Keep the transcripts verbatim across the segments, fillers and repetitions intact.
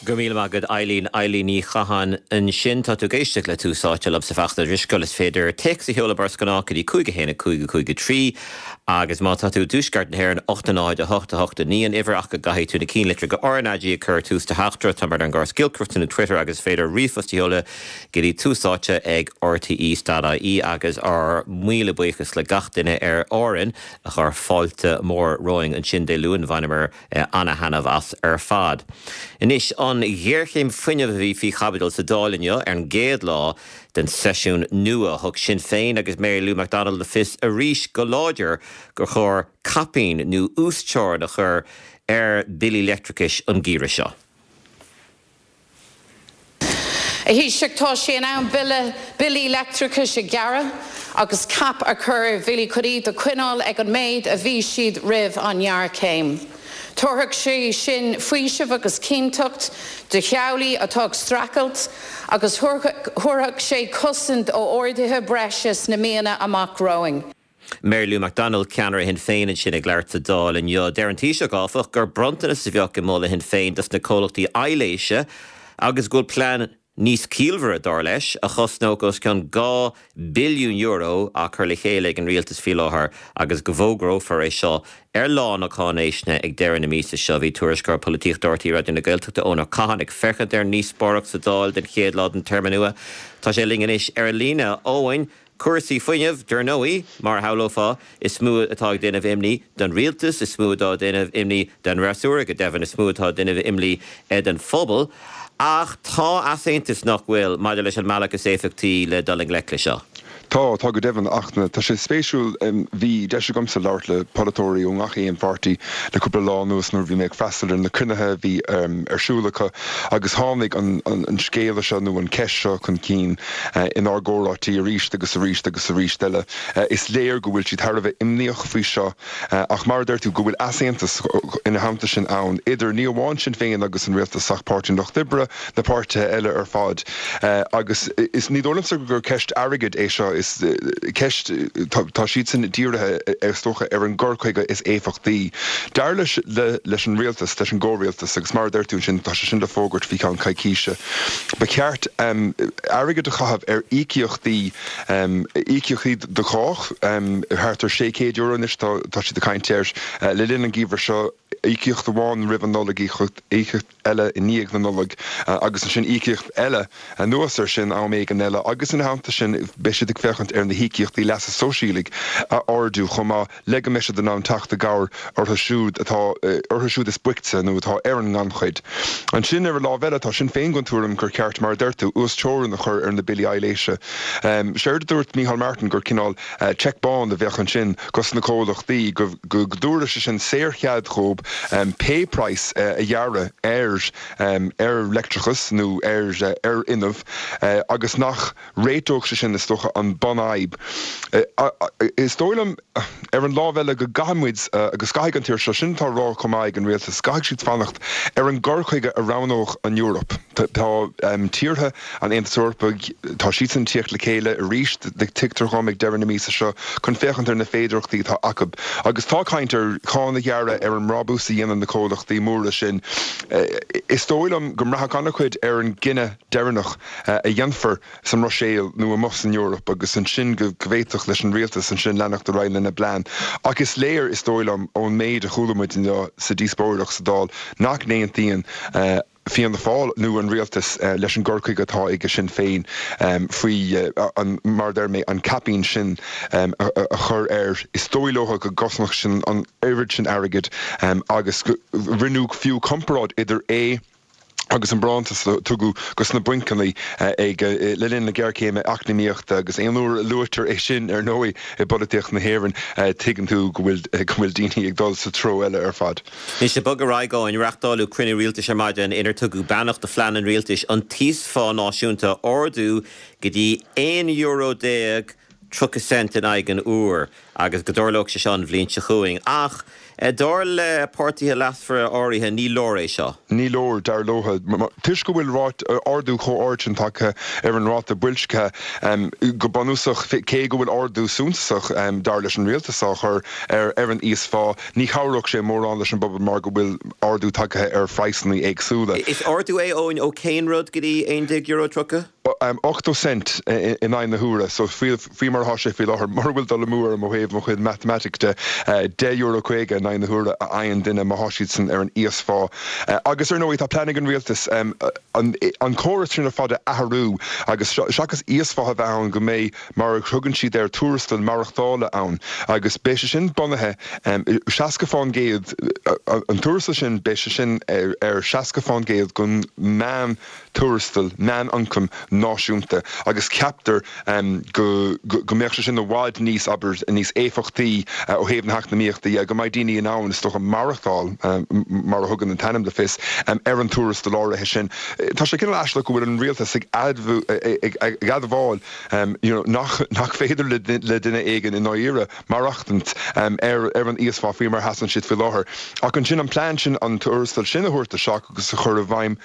Go míle maith agat Eileen Eileen Ní Chatháin ansin tá tú ag éisteacht le Tús Áite liomsa Fachtna Drisceoil is féidir téacs a sheoladh mar is gnáth go dtí cúig a haon a cúig a cúig a trí agus má tá tú i dtuaisceart na hÉireann ocht a náid a hocht a hocht a naoi an uimhir ach go gcaithfidh tú na cinnlitreacha RnaG a chur tús do theachtaireacht tá mar an gar scilcrufta na Twitter agus féidir ríomhphost a sheoladh go dtí Tús Áite ag RTÉ.ie agus ár míle buíochas le gach duine ar Árainn a chuir fáilte mór romhainn ansin Dé Luain bhaineamar an-taitneamh as ar fad. Anois an ghéarchéim fuinnimh a bhí faoi chaibidil sa Dáil inniu ar an gcéad lá den seisiún nua thug Sinn Féin agus Mary Lou McDonald le fios arís go láidir gur chóir caipín nó uasteorainn a chur ar bhillí leictreachais an geimhreadh seo. A Thaoisigh tá sé in am bille billí leictreachais a ghearradh agus cap a chur ar bhillí chun iad a choinneáil ag an méid a bhí siad roimh an ngéarchéim. Tabharfaidh sé sin faoiseamh agus cinnteacht do theaghlaigh atá ag streachailt agus thabharfadh sé cosaint ó arduithe breise sna míonna amach romhainn. Mary Lou McDonald ceannaire Shinn Féin ansin ag labhairt sa Dáil inniu. Deir an Taoiseach áfach gur bronntanas a bheadh i moladh Shinn Féin dos na comhlachtaí aibhléise agus go bhfuil plean níos ciallmhaire dar leis a chosnódh os cionn dhá billiún euro á chur le chéile ag an rialtas faoi láthair agus go bhfógrófar é seo ar lá na cáinaisnéise ag deireadh na míosa seo bhí tuairisceoir polaitíochta RTÉ Raidió na Gaeltachta Eoin Ó Catháin ag féachaint ar an ndíospóireacht sa Dáil den chéad lá den téarma nua. Tá sé linn anois ar an líne Eoin, cúrsaí fuinnimh dar ndóigh mar a shamhlófá is mó atá ag déanamh imní don rialtas is mó atá ag déanamh imní don fhreasúra go deimhin is mó atá ag déanamh imní don phobal. Ach tá easaontas nach bhfuil maidir leis an mbealach is éifeachtaí le dul i ngleic leis seo. Tá tá go deimhin ach tá sé spéisiúil bhí deis agamsa labhairt le polaiteoirí ó gach aon pháirtí le cúpla lá anuas nuair bhí mé ag freastal ar na cruinnithe bhí ar siúl acu agus tháinig an, an, an scéal seo nó an cheist seo chun cinn inár gcomhráití arís agus arís agus arís eile. Is léir go bhfuil siad thar a bheith imníoch faoi seo ach mar deir tú go bhfuil easaontas ina theannta sin ann idir ní amháin Sinn Féin agus an rialtas ach Páirtí an Lucht Oibre na páirtithe eile ar fad agus is ní dóigh liomsa gur ceist airgid é seo is ceist tá siad sin dírithe is dócha ar an gcur chuige is éifeachtaí. Dar leis le, leis an rialtas leis an gcomhrialtas agus mar deir tú sin tá sé sin le fógairt faoi cheann coicíse. Ba cheart um, airgead a chaitheamh ar íocaíochtaí um, íocaíochtaí do chách um, thart ar sé chéad euro anois tá tá siad ag caint air uh, le linn an gheimhridh seo íocaíocht amháin roimh an Nollaig íocaíocht eile i ndiaidh na Nollag uh, agus ansin íocaíocht eile anuas ar sin am éigin eile agus ina theannta sin beidh siad ag féachaint ar na híocaíochtaí leasa sóisialaigh a ardú chomh maith le go mbeidh siad in ann teacht i gcabhair orthu siúd atá orthu siúd is boichte nó atá ar an ngannchuid. Ansin ar an lámh eile tá Sinn Féin den tuairim gur ceart mar deir tú uasteorainn a chur ar na billí aibhléise. Um, Séard a dúirt Micheál Martin gur cineál uh, cheque bán a bheadh ansin dos na comhlachtaí go go dtabharfadh sé sin saorchead dóibh um, pé praghas uh, a ghearradh ar um, ar leictreachas nó ar uh, ar fhuinneamh uh, agus nach réiteodh sé sin is dócha an bunfhadhb. Uh, uh, is dóigh liom ar an lámh eile go gcaithfimid uh, agus caithfidh an tír seo sin tá rá chomh maith ag an rialtas caithfidh siad fanacht ar an gcur chuige a roghnódh an Eoraip. Tá um, tíortha an Aontais Eorpaigh tá siad ag tíocht le chéile arís le tuigtear dom ag deireadh na míosa seo chun féachaint ar na féidearthachtaí atá acu. Agus tá caint ar cháin a ghearradh ar an mbrabús a dhéanann na comhlachtaí móra sin. Is dóigh liom go mbraithfidh an-chuid ar an gcinneadh deireanach a dhéanfar sa mBruiséil nó amuigh san Eoraip agus ansin go bhféadfadh leis an rialtas ansin leanacht ar aghaidh lena bplean. Ach is léir is dóigh liom ón méid a chuala muid sa díospóireacht sa Dáil nach n-aontaíonn uh, Fianna Fáil nó an rialtas uh, leis an gcur chuige atá ag Sinn Féin um, faoi uh, an mar deir mé an caipín sin um, a, a, a chur air is dóigh leo go gcosnódh sin an oiread sin airgid um, agus rinneadh fiú comparáid idir é agus an bronntanas a tugadh dos na bancanna ag le linn na géarchéime eacnamaíochta agus aon uair a luaitear é sin ar ndóigh i bpolaitíocht na hÉireann tuigeann tú go bhfuil go bhfuil daoine ag dul sa treo eile ar fad. Anois ag bogadh ar aghaidh Eoin reáchtáladh cruinniú rialtais ar maidin inar tugadh beannacht do phlean an rialtais an t-íosphá náisiúnta a ardú go dtí aon euro déag tríocha cent in aghaidh an uair agus go dtarlódh sé seo an bhliain seo chugainn ach Dar le páirtithe leasmhara áirithe ní leor é seo. Ní leor dar leo. Toisc go bhfuil ardú chomh ard sin tagtha ar an ráta boilscithe go bunúsach cé go bhfuil ardú suntasach dar leis an rialtas á chur ar ar an íosphá, ní chabhródh sé mórán leis an bpobal mar go bhfuil ardú tagtha ar phraghsanna éagsúla. Is ardú é Eoin ó cén rud go dtí aon déag euro tríocha? ochtó cent in aghaidh na huaire, so faoi mar atá sé faoi láthair, mura bhfuil dul amú orm ó thaobh mo chuid matamaitic de, deich euro caoga in aghaidh na huaire a fhaigheann duine má tá siadsan ar an íosphá. Agus ar ndóigh tá plean ag an rialtas an córas sin ar fad a athrú agus seachas íosphá a bheith ann go mbeidh mar a thugann siad air tuarastal maireachtála ann agus beidh sé sin bunaithe seasca fán gcéad an tuarastal sin beidh sé sin ar seasca fán gcéad den meán tuarastal, meánioncam náisiúnta agus ceaptar go go mbeadh sé sin i bhfad níos, abair, níos éifeachtaí ó thaobh na heacnamaíochta dhe, go mbeidh daoine in ann, is dócha, maireachtáil, mar a thugann an t-ainm le fios, ar an tuarastal áirithe sin. Tá sé cineál aisteach go bhfuil an rialtas ag ag admháil you know nach nach féidir le le duine éigin i ndáiríre maireachtaint ar ar an íosphá faoi mar a sheasann siad faoi láthair. Ach ansin an plean sin an tuarastal sin a thabhairt isteach agus a chur i bhfeidhm,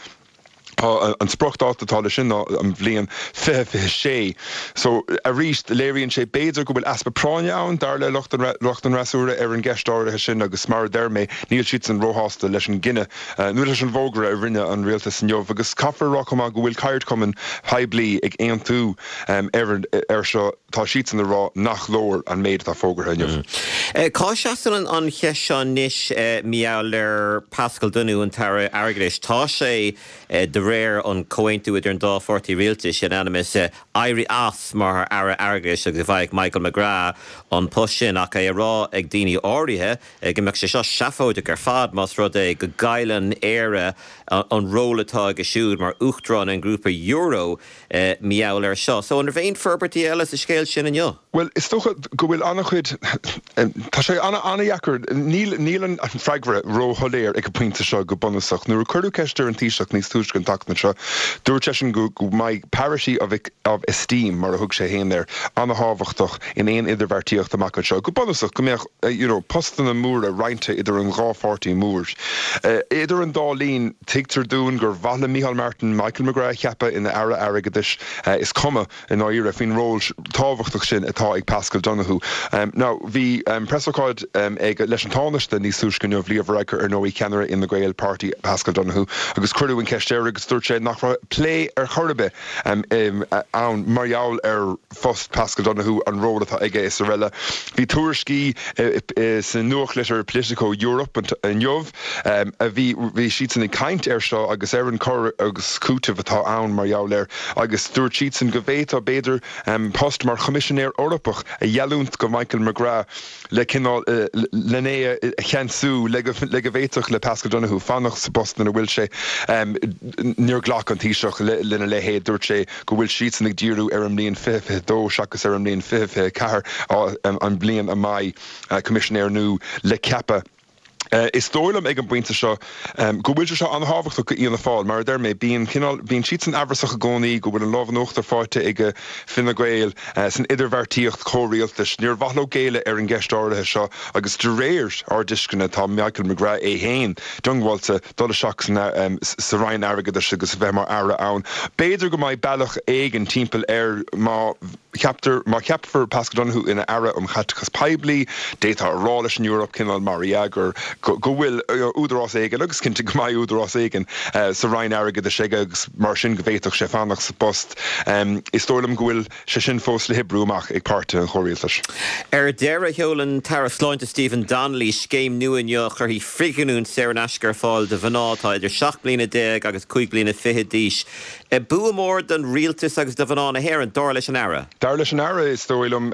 Tá an spriocdháta atá leis sin ná an bhliain fiche fiche sé. So, arís, léiríonn sé b'fhéidir go bhfuil easpa práinne ann, dar le lucht an lucht an fhreasúra, ar an gceist áirithe sin agus mar a deir mé, níl siadsan róshásta leis an gcinneadh nó leis an bhfógra a rinne an rialtas inniu. Agus caithfear a rá chomh maith go bhfuil ceardchumainn poiblí ag aontú ar ar seo, tá siadsan ag rá nach leor an méid atá fógartha inniu. Cá seasann an cheist seo anois mar gheall ar Paschal Donohoe, an tAire Airgeadais? Tá sé de réir an comhaontú idir an dá pháirtí rialtais in ainm is éirí as mar Aire Airgeadais agus go bhfaigheadh Michael McGrath an post sin ach é a rá ag daoine áirithe go mbeadh sé seo seafóideach ar fad más rud é go gcailleann Éire an ról atá aige siúd mar Uachtarán an Ghrúpa Euro mar gheall air seo. So an raibh aon forbairtí eile sa scéal sin inniu? Bhuel, is dócha go bhfuil an-chuid, tá sé an-dheacair, níl níl an freagra róshoiléir ag an bpointe seo go bunúsach. Nuair a cuireadh ceist ar an Taoiseach níos túisce an tseachtain seo, dúirt seisean go go mbeidh parity of of esteem, mar a thug sé féin air, an-thábhachtach in aon idirbheartaíocht amach anseo. Go bunúsach, go mbeadh you know postanna móra roinnte idir an dhá pháirtí mór. Idir an dá linn, tuigtear dúinn gur mhaith le Micheál Martin Michael McGrath a cheapadh ina Aire Airgeadais. Is cuma i ndáiríre faoin ról tábhachtach sin atá ag Paschal Donohoe. Now, bhí preasócáid ag leis an Tánaiste níos túisce inniu, Leo Varadkar, ar ndóigh, ceannaire Fhine Gael Party Paschal Donohoe, agus cuireadh an cheist air agus dúirt sé nach raibh plé ar chor ar bith ann mar gheall ar phost Paschal Donohoe, an ról atá aige is araile. Bhí tuairiscí sa nuachtlitir Politico Europe inniu a bhí, bhí siadsan ag caint air seo agus ar an cur agus cúiteamh atá ann mar gheall air agus dúirt siadsan go bhféadfadh, b'fhéidir, post mar Choimisinéir Eorpach a gheallúint go Michael McGrath le cineál, len é a cheansú le go le go bhféadfadh le Paschal Donohoe fanacht sa bpost ina bhfuil sé. Níor ghlac an Taoiseach lena leithéid, dúirt sé go bhfuil siadsan ag díriú ar an mbliain fiche fiche dó seachas ar an mbliain fiche fiche ceathair, an bhliain a mbeidh Coimisinéir nua le ceapadh. Is dóigh liom ag an bpointe seo go bhfuil sé seo an-thábhachtach go Fhianna Fáil. Mar a deir mé, bíonn cineál, bíonn siadsan amhrasach i gcónaí go bhfuil an lámh in uachtar faighte ag Fine Gael san idirbheartaíocht chomhrialtais. Níor mhaith leo géilleadh ar an gceist áirithe seo agus de réir ár dtuisceana tá Michael McGrath é féin diongbháilte dul isteach sa Roinn Airgeadais agus a bheith mar Aire ann. B'fhéidir go mbeidh bealach éigin timpeall air má cheaptar, má cheapfar Paschal Donohoe ina Aire um Chaiteachas Poiblí, d'fhéadfá a rá leis an Eoraip, cineál mar dhea, gur, go bhfuil údarás éigin, agus cinnte go mbeidh údarás éigin, sa Roinn Airgeadais aige agus mar sin go bhféadfadh sé fanacht sa bpost. Is dóigh liom go bhfuil sé sin fós le hoibriú amach ag páirtithe an chomhrialtais. Ar deireadh, sheol an tAire Sláinte Stephen Donnelly scéim nua inniu a chuirfidh frithghiniúint saor in aisce ar fáil do mhná atá idir seacht mbliana déag agus cúig bliana fichead d'aois. Bua mór don rialtas agus do mhná na hÉireann, dar leis an Aire. Dar leis an Aire, is dóigh liom,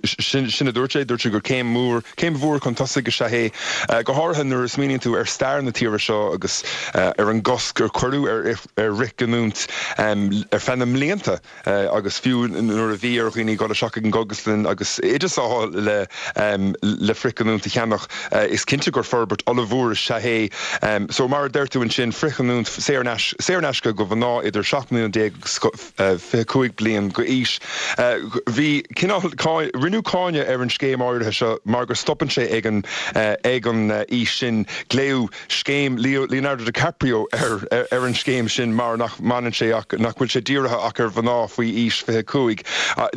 sin a dúirt sé, dúirt sé gur céim mhór, céim mhór chun tosaigh is ea é. Go háirithe nuair a smaoiníonn tú ar stair na tíre seo agus ar an gcosc ar cuireadh ar ar fhrithghiniúint ar feadh na mblianta agus fiú nuair a bhí ar dhaoine dul isteach ag an gcógaslann agus oideas a fháil le le frithghiniúint a cheannach, is cinnte gur forbairt ollmhór is ea é. So mar a deir tú ansin, frithghiniúint saor in aisce go mhná idir seacht mbliana déag agus fiche cúig bliain d'aois. Bhí cineál, rinneadh cáineadh ar an scéim áirithe seo mar go stopann sé ag an ag an aois sin. Glaodh scéim Leonardo DiCaprio ar ar an scéim sin mar nach mbaineann sé ach nach bhfuil sé dírithe ach ar mhná faoi aois fiche cúig.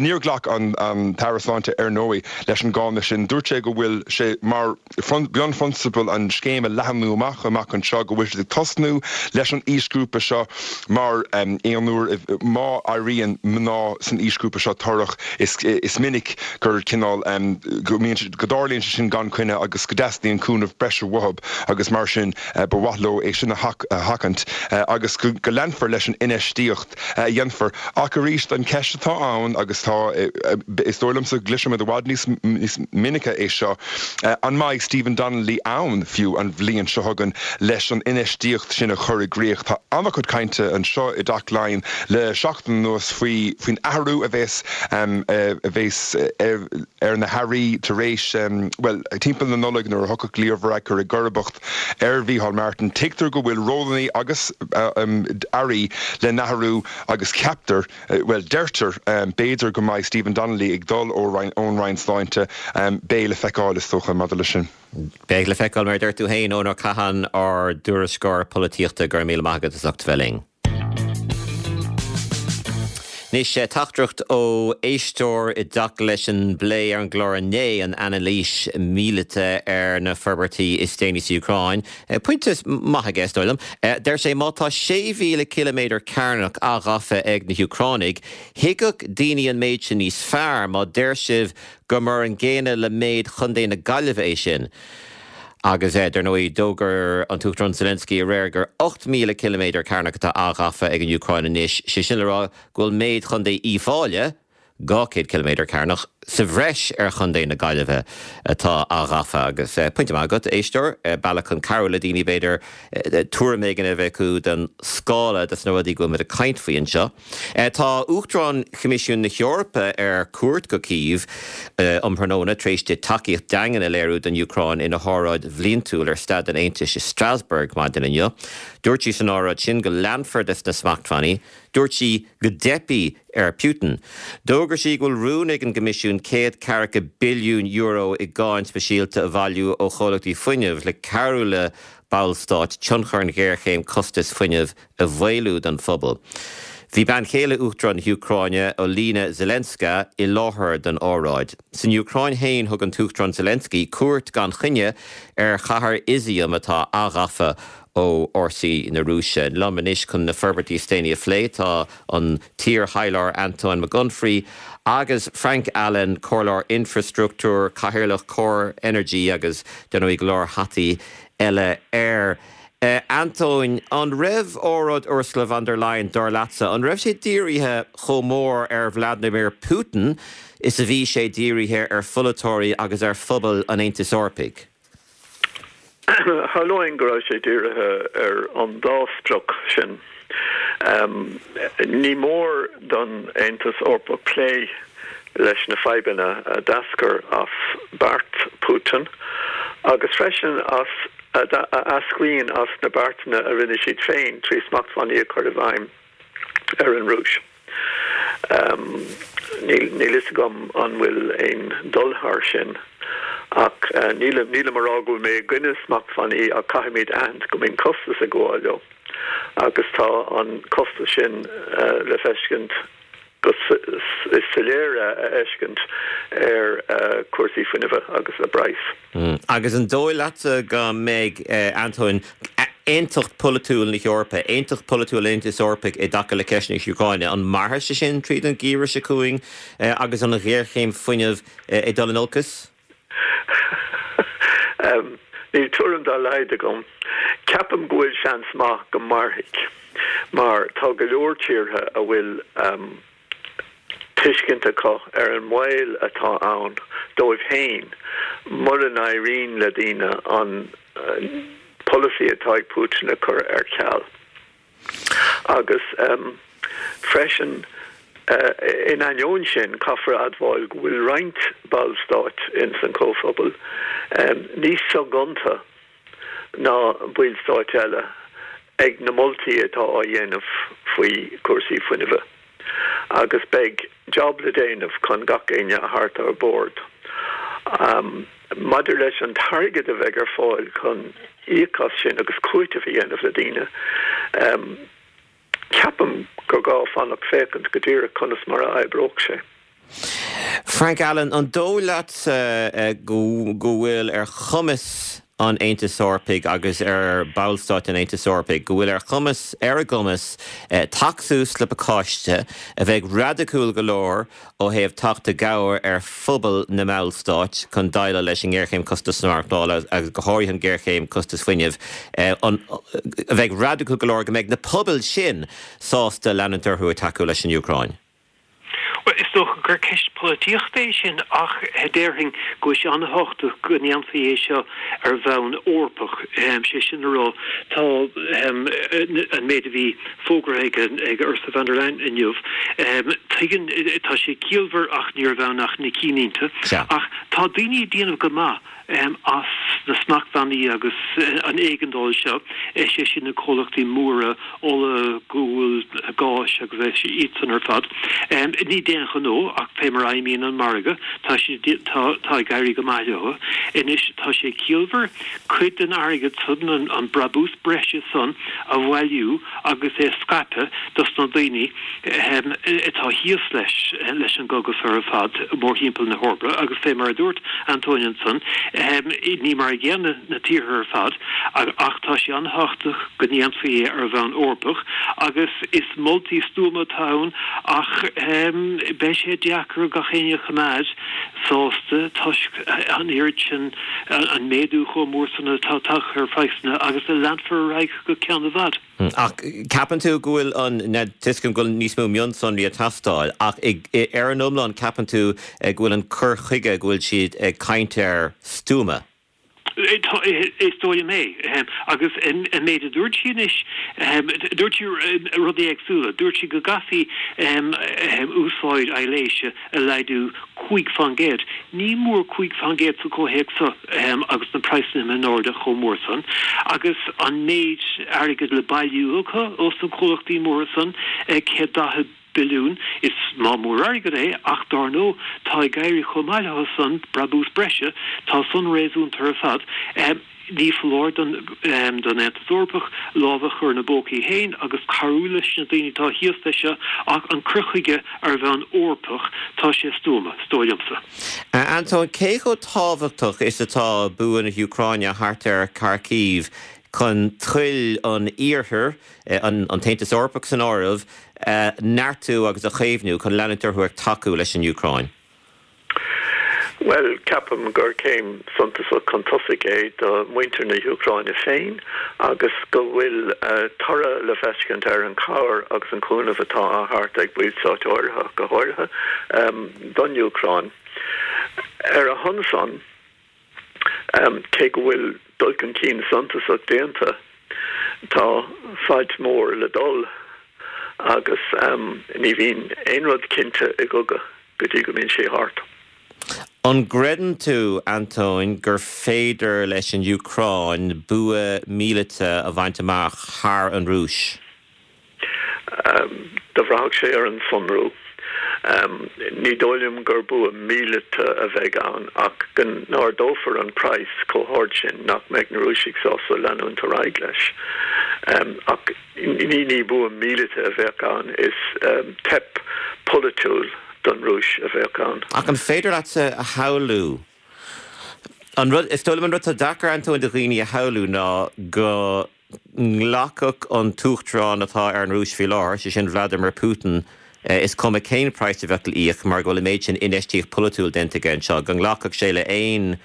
Níor ghlac an an tAire Sláinte ar ndóigh leis an gcáineadh sin. Dúirt sé go bhfuil sé mar bunphrionsabal an scéim a leathnú amach amach anseo, go bhfuil siad ag tosnú leis an aoisghrúpa seo mar aon uair má éiríonn mná san aoisghrúpa seo torrach is is minic gur cineál go mbíonn go dtarlaíonn sé sin gan coinne agus go dteastaíonn cúnamh breise uathu agus mar sin ba mhaith leo é sin a sheachaint agus go go leanfar leis an infheistíocht a dhéanfar. Ach arís an ceist atá ann agus tá is dóigh liomsa go gcloisfimid i bhfad níos níos minice é seo, an mbeidh Stephen Donnelly ann fiú an bhliain seo chugainn leis an infheistíocht sin a chur i gcrích. Tá an-chuid cainte anseo i dTeach Laighean le seachtain anuas faoi faoin athrú a bheas a bheas ar na hairí tar éis, bhuel, timpeall na Nollag nuair a thiocfadh Leo Varadkar i gcomharbacht ar Mhícheál Martin. Tuigtear go bhfuil rólanna agus airí le n-athrú agus ceaptar, bhuel, deirtear, b'fhéidir go mbeidh Stephen Donnelly ag dul ón Roinn Sláinte. Beidh le feiceáil, is dócha, maidir leis sin. Beidh le feiceáil, mar a deir tú féin, Eoin Ó Catháin, ár dtuairisceoir polaitíochta, go raibh míle maith agat as ucht bheith linn. Anois, teachtaireacht ó éisteoir i dtaca leis an bplé ar an gclár inné, an anailís míleata ar na forbairtí is déanaí sa Úcráin. Pointe maith aige, is dóigh liom. Deir sé má tá sé mhíle ciliméadar cearnach athghafa ag na hÚcránaigh, thuigfeadh daoine an méid sin níos fearr má deir sibh gur mar an gcéanna le méid Chontae na Gaillimhe é sin. Agus dar ndóigh, d'fhógair an tUachtarán Zelensky aréir gur ocht míle ciliméadar cearnach atá athghafa ag an Úcráin anois, sé sin le rá go bhfuil méid Chontae Uíbh Fhailí, dhá chéad ciliméadar cearnach, sa bhreis ar Chontae na Gaillimhe atá athghafa. Agus pointe maith agat, éisteoir, bealach chun cabhrú le daoine b'fhéidir tuairim éigin a bheith acu den scála de na rudaí go bhfuil muid ag caint faoi anseo. Tá Uachtarán Choimisiún na hEorpa ar cuairt go Cív um thráthnóna tar éis di tacaíocht daingean a léiriú don Úcráin ina hóráid bhliantúil ar staid an Aontais i Strasbourg maidin inniu. Dúirt sí san óráid sin go leanfar des na smachtbhannaí. Dúirt sí go dteipfidh ar Putin. D'fhógair sí go bhfuil rún ag an gCoimisiún céad ceathracha billiún euro i gcáin speisialta a bhailiú ó chomhlachtaí fuinnimh le cabhrú le ballstáit tionchar an ghéarchéim costais fuinnimh a mhaolú don phobal. Bhí bean chéile Uachtarán na hÚcráine, Olena Zelenska, i láthair don óráid. San Úcráin féin thug an tUachtarán Zelensky cuairt gan choinne ar chathair Izium atá athghafa ó fhórsaí na Rúise. Liom anois chun na forbairtí is déanaí a phlé tá an t-iarthaidhleoir Antóin Mac Unfraidh agus Frank Allen, comhairleoir infreastruchtúir, cathaoirleach Core Energy agus dar ndóigh go leor hataí eile air. Antóin, an raibh óráid Ursula von der Leyen dar leatsa, an raibh sé dírithe chomh mór ar Vladimir Putin is a bhí sé dírithe ar pholaiteoirí agus ar phobal an Aontais Eorpaigh? Tharlóinn go raibh sé dírithe ar an dá sprioc sin. Ní mór don Aontas Eorpach plé leis na fadhbanna a d'eascair as beart Putin agus freisin as a eascraíonn as na beartanna a rinne siad féin trí smachtbhannaí a chur i bhfeidhm ar an Rúis. Níl níl fhios agam an bhfuil aon dul thar sin ach nílim nílim a rá go bhfuil mé i gcoinne smachtbhannaí ach caithfimid aithint go mbíonn costas ag gabháil leo agus tá an costas sin le feiscint go is soiléir a fheiscint ar chúrsaí fuinnimh agus a bpraghas. Agus an dóigh leatsa go mbeidh, Antóin, aontacht polaitiúil na hEorpa, aontacht polaitiúil an Aontais Eorpaigh i dtaca le ceist na hÚcráine, an mairfidh sé sin tríd an gheimhreadh seo chugainn agus an ghéarchéim fuinnimh ag dul in olcas? Níl tuairim dá laghad agam. Ceapaim go bhfuil seans maith go mairfidh, mar tá go leor tíortha a bhfuil tuiscint acu ar an mbaol atá ann dóibh féin mura n-éiríonn le daoine an polasaí atá ag Putin a chur ar ceal. Agus freisin, in ainneoin sin, caithfear a admháil go bhfuil roinnt ballstáit ins an Chomhphobal níos soghonta ná ballstáit eile ag na moltaí atá á dhéanamh faoi chúrsaí fuinnimhe. Agus beidh job le déanamh chun gach éinne a thabhairt ar bord. Maidir leis an t-airgead a bheidh ar fáil chun íoc as sin agus cúiteamh a dhéanamh le daoine, ceapaim gur gá fanacht féachaint go díreach conas mar a oibreoidh sé. Frank Allen, an dóigh leatsa go bhfuil ar chumas an Aontais Eorpaigh agus ar bhallstáit an Aontais Eorpaigh, go bhfuil ar chumas, ar a gcumas teacht suas le pacáiste a bheidh raidiciúil go leor ó thaobh teacht i gcabhair ar phobal na mballstát chun déileáil leis an ngéarchéim costas na maireachtála agus go háirithe an ghéarchéim costas fuinnimh, an, a bheidh raidiciúil go leor go mbeidh na pobail sin sásta leanúint orthu ag tacú leis an Úcráin? Bhuel, is dócha gur ceist polaitíochta é sin ach déarfainn go bhfuil sé an-thábhachtach go ndéanfaí é seo ar bhonn Eorpach. Sé sin a rá, tá an méid a bhí fógartha ag Ursula von der Leyen inniu, tuigeann, tá sé ciallmhar ach ní raibh ann ach na cinnlínte. Ach tá daoine ag déanamh go maith as na smachtbhannaí agus an éigeandáil seo, sé sin na comhlachtaí móra ola, gual, gáis agus iad san ar fad. Ní d'aon ghnó ach fé mar a fheidhmíonn an margadh, tá sé, tá, tá ag éirí go maith leo. Anois tá sé ciallmhar cuid den airgead san, an brabús breise san a bhailiú agus é a scaipeadh dos na daoine atá thíos leis, leis an gcogadh seo ar fad mórthimpeall na hEorpa agus fé mar a dúirt Antóin ansan, Ní mar a gcéanna na tíortha ar fad ach tá sé an-thábhachtach go ndéanfaí é ar bhonn Eorpach agus is moltaí stuama atá ann ach beidh sé deacair gach éinne a choimeád sásta toisc an oiread sin, an méadú chomh mór san atá tagtha ar phraghsanna agus a leanfar ar aghaidh go ceann i bhfad. Ach ceapann tú go bhfuil an, tuigim go bhfuil níos mó mionsonraí ag teastáil, ach ar an iomlán ceapann tú go bhfuil an cur chuige go bhfuil siad ag caint air stuama? Is dóigh liom é. Agus an méid a dúirt sí anois, dúirt sí rudaí éagsúla. Dúirt sí go gcaithfí úsáid aibhléise a laghdú cúig faoin gcéad. Ní mór cúig faoin gcéad sa chomhthéacs seo agus na praghsanna imithe in airde chomh mór san agus an méid airgid le bailiú acu ós na comhlachtaí móra san, céad daichead billiún. Is maith mór airgead é ach dár ndóigh tá ag éirí chomh maith leo san, brabús breise, tá san réasúnta ar fad. Ní foláir don Aontas Eorpach lámh a chur ina bpócaí féin agus cabhrú leis na daoine atá thíos leis seo ach an cur chuige ar bhonn Eorpach, tá sé stuama, is dóigh liomsa. Antóin, cé chomh tábhachtach is atá bua na hÚcráine thart ar Kharkiv chun toil an Iarthair, an tAontas Eorpach san áireamh, a neartú agus a chaomhnú chun leanúint orthu ag tacú leis an Úcráin? Bhuel, ceapaim gur céim suntasach chun tosaigh é do mhuintir na hÚcráine féin agus go bhfuil toradh le feiscint ar an chabhair agus an cúnamh atá á thabhairt ag ballstáit áirithe, go háirithe, don Úcráin. Ar a shon san, cé go bhfuil dul chun cinn suntasach déanta, tá fad mór le dul agus ní bhíonn aon rud cinnte i gcogadh go dtí go mbíonn sé thart. An gcreideann tú, Antóin, gur féidir leis an Úcráin bua míleata a bhaint amach thar an Rúis? Do bhraithfeadh sé ar an sonrú. Ní dóigh liom gur bua míleata a bheidh ann ach go n-ardófar an praghas chomh hard sin nach mbeidh na Rúisigh sásta leanúint ar aghaidh leis. Ach ní bua míleata a bheadh ann, is teip pholaitiúil don Rúis a bheadh ann. Ach an féidir leatsa a shamhlú, an rud, is dóigh liom an rud atá deacair, Antóin, do dhaoine a shamhlú ná go nglacfadh an t-uachtarán atá ar an Rúis faoi láthair, sé sin Vladimir Putin, is cuma cén praghas a bheadh le íoc mar go bhfuil an méid sin infheistíocht pholaitiúil déanta aige anseo, go nglacfadh sé le haon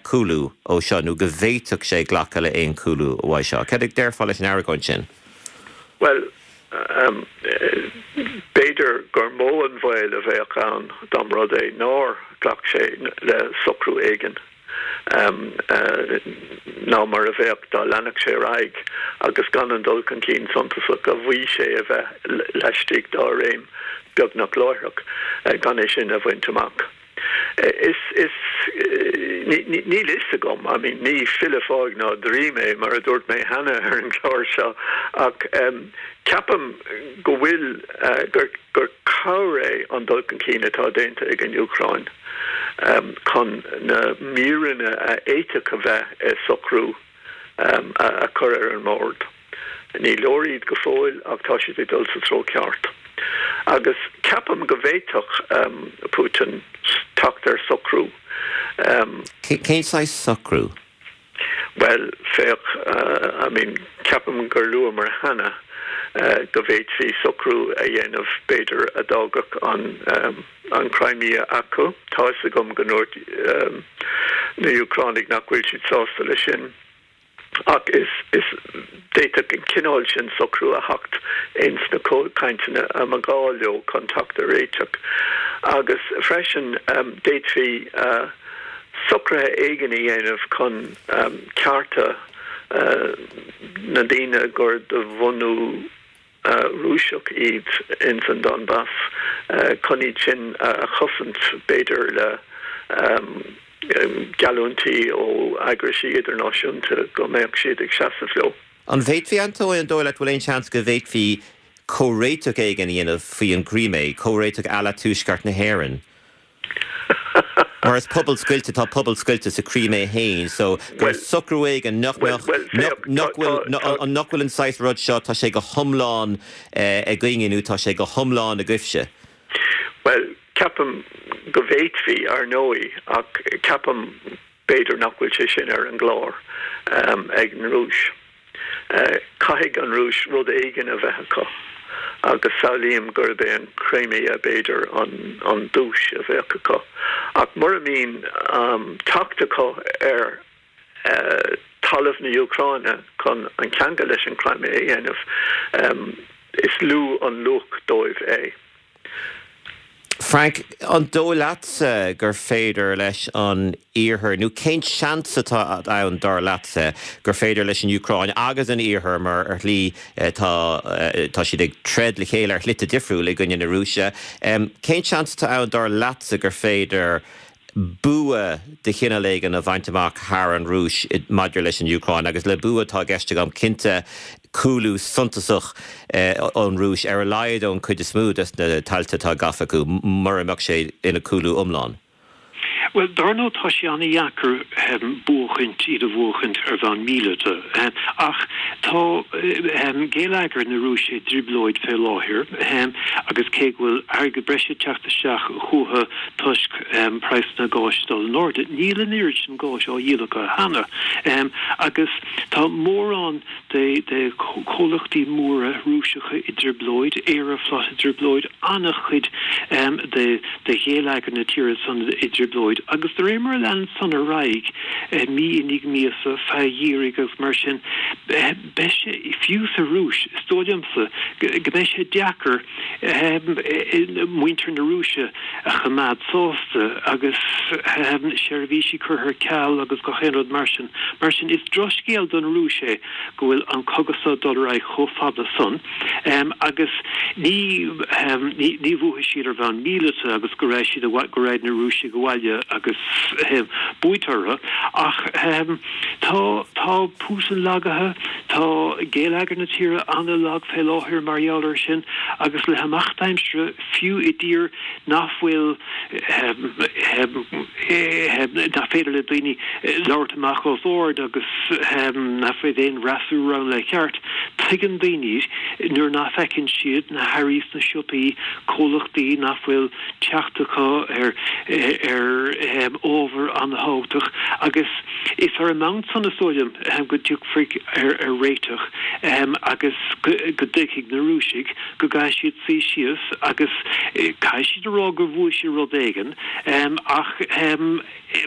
chúlú ó seo nó go bhféadfadh sé glacadh le haon chúlú uaidh seo. Cad a déarfá leis an argóint sin? Bhuel, B'fhéidir gur mó an baol a bheadh ann dá mba rud é nár ghlac sé le socrú éigin ná mar a bheadh dá leanfadh sé ar aghaidh agus gan an dul chun cinn suntasach a mhaígh sé a bheith laistigh dá réim beagnach láithreach, gan é sin a bhaint amach. Is, is, níl fhios agam, I mean, ní file fáidh ná draoi mé, mar a dúirt mé cheana ar an gclár seo, ach ceapaim go bhfuil, gur, gur cabhair é an dul chun cinn atá déanta ag an Úcráin chun na míreanna a fhéadfadh a bheith i socrú a chur ar an mbord. Ní leor iad go fóill ach tá siad ag dul sa treo ceart. Agus ceapaim go bhféadfadh Putin teacht ar socrú. Cén saghas socrú? Bhuel, féach, I mean, ceapaim gur luamar cheana go bhféadfaí socrú a dhéanamh, b'fhéidir, a d'fhágfadh an an Crimea acu. Tá fhios agam go ndúirt na Úcránaigh nach bhfuil siad sásta leis sin. Ach is is d'fhéadfadh an cineál sin socrú a theacht ins na cainteanna a mba ghá leo chun teacht ar réiteach. Agus freisin d'fhéadfaí socruithe éigin a dhéanamh chun cearta na ndaoine gur de bhunú Rúiseach iad ins an Donbas, chun iad sin a chosaint, b'fhéidir le geallúintí ó eagraisí idirnáisiúnta go mbeadh siad ag seasamh leo. An bhféadfaí, Antóin, an dóigh leat, bhfuil aon seans go bhféadfaí comhréiteach éigin a dhéanamh faoi an gCrimé, comhréiteach à la Tuaisceart na hÉireann? Mar is pobal scoilte, tá pobal scoilte sa Crimé féin, so gur socrú éigin nach mbeadh, nach bhfuil, nach bhfuil an saghas rud seo, tá sé go hiomlán againne nó tá sé go hiomlán agaibhse. Bhuel, ceapaim go bhféadfaí, ar ndóigh, ach ceapaim b'fhéidir nach bhfuil sé sin ar an gclár ag an Rúis. Caithfidh an Rúis rud éigin a bheith acu agus samhlaím gurb é an Crimea b'fhéidir an duais a bheadh acu. Ach mura mbíonn teacht acu ar talamh na hÚcráine chun an ceangal leis an Crimea a dhéanamh, is lú an luach dóibh é. Frank, an dóigh leatsa gur féidir leis an Iarthar, nó cén seans atá ann dar leatsa gur féidir leis an Úcráin agus an Iarthar, mar ar shlí tá tá siad ag troid le chéile ar shlite difriúla i gcoinne na Rúise, cén seans atá ann dar leatsa gur féidir bua de chineál éigin a bhaint amach thar an Rúis maidir leis an Úcráin, agus le bua tá i gceist agam cinnte cúlú suntasach ón Rúis, ar a laghad ón chuid is mó de na tailte atá gafa acu, mura mbeadh sé ina cúlú iomlán. Bhuel, dar ndóigh tá sé an-dheacair buachaint, iad a bhuachaint ar bhonn míleata. Ach tá geilleagar na Rúise i dtrioblóid fé láthair agus cé go bhfuil airgead breise ag teacht isteach chucu toisc praghsanna gáis ag dul in airde, níl an oiread sin gáis á dhíol acu cheana. Agus tá mórán de chomhlachtaí móra Rúiseacha i dtrioblóid, Aeroflot i dtrioblóid, an-chuid de gheilleagar na tíre san i dtrioblóid agus de réir mar a leanann san ar aghaidh, mí i ndiaidh míosa, feadh an gheimhridh agus mar sin, beidh sé, fiú sa Rúis, is dóigh liomsa go mbeidh sé deacair muintir na Rúise a choimeád sásta agus seirbhísí curtha ar ceal agus gach aon rud mar sin. Mar sin, is drochscéal don Rúis é go bhfuil an cogadh seo ag dul ar aghaidh chomh fada san agus ní ní bhuafaidh siad ar bhonn míleata agus go raghaidh siad go raghaidh na Rúisigh abhaile agus buaite orthu ach tá tá Putin lagaithe, tá geilleagar na tíre an-lag fé láthair mar gheall air sin agus le himeacht aimsire fiú i dtír nach bhfuil nach féidir le daoine labhairt amach os ard agus nach bhfuil aon fhreasúra ann le ceart. Tuigeann daoine nuair nach bhfeiceann siad na hearraí sna siopaí, comhlachtaí nach bhfuil teacht acu ar ar ábhar an-thábhachtach agus is ar an mbonn san is dóigh liom go dtiocfaí ar ar réiteach. agus go dtuigfidh na Rúisigh go gcaithfidh siad suí síos agus caithfidh siad a rá gur bhuaigh siad rud éigin ach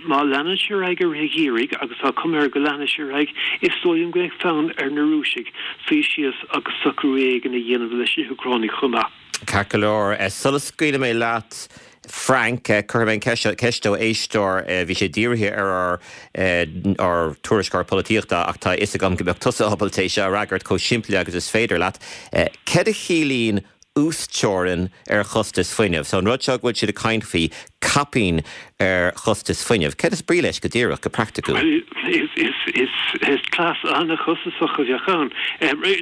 má leanann sé ar aghaidh i rith an gheimhridh agus tá cuma air go leanfaidh sé ar aghaidh, is dóigh liom go mbeidh fonn ar na Rúisigh suí síos agus socrú éigin a dhéanamh leis na hÚcránaigh chomh maith. Ceart go leor, sula scaoilfidh mé leat Frank, cuirfidh mé an ceist seo, ceist ó éisteoir, bhí sé dírithe ar ár ár tuairisceoir polaitíochta ach tá a fhios agam go mbeadh tusa ábalta é seo a fhreagairt chomh simplí agus is féidir leat. Céard a chiallaíonn uasteorainn ar chostas fuinnimh? So an rud seo go bhfuil siad ag caint faoi caipín ar chostas fuinnimh, céard is brí leis go díreach, go praiticiúil? Is cleas an-chostasach a bheadh ann.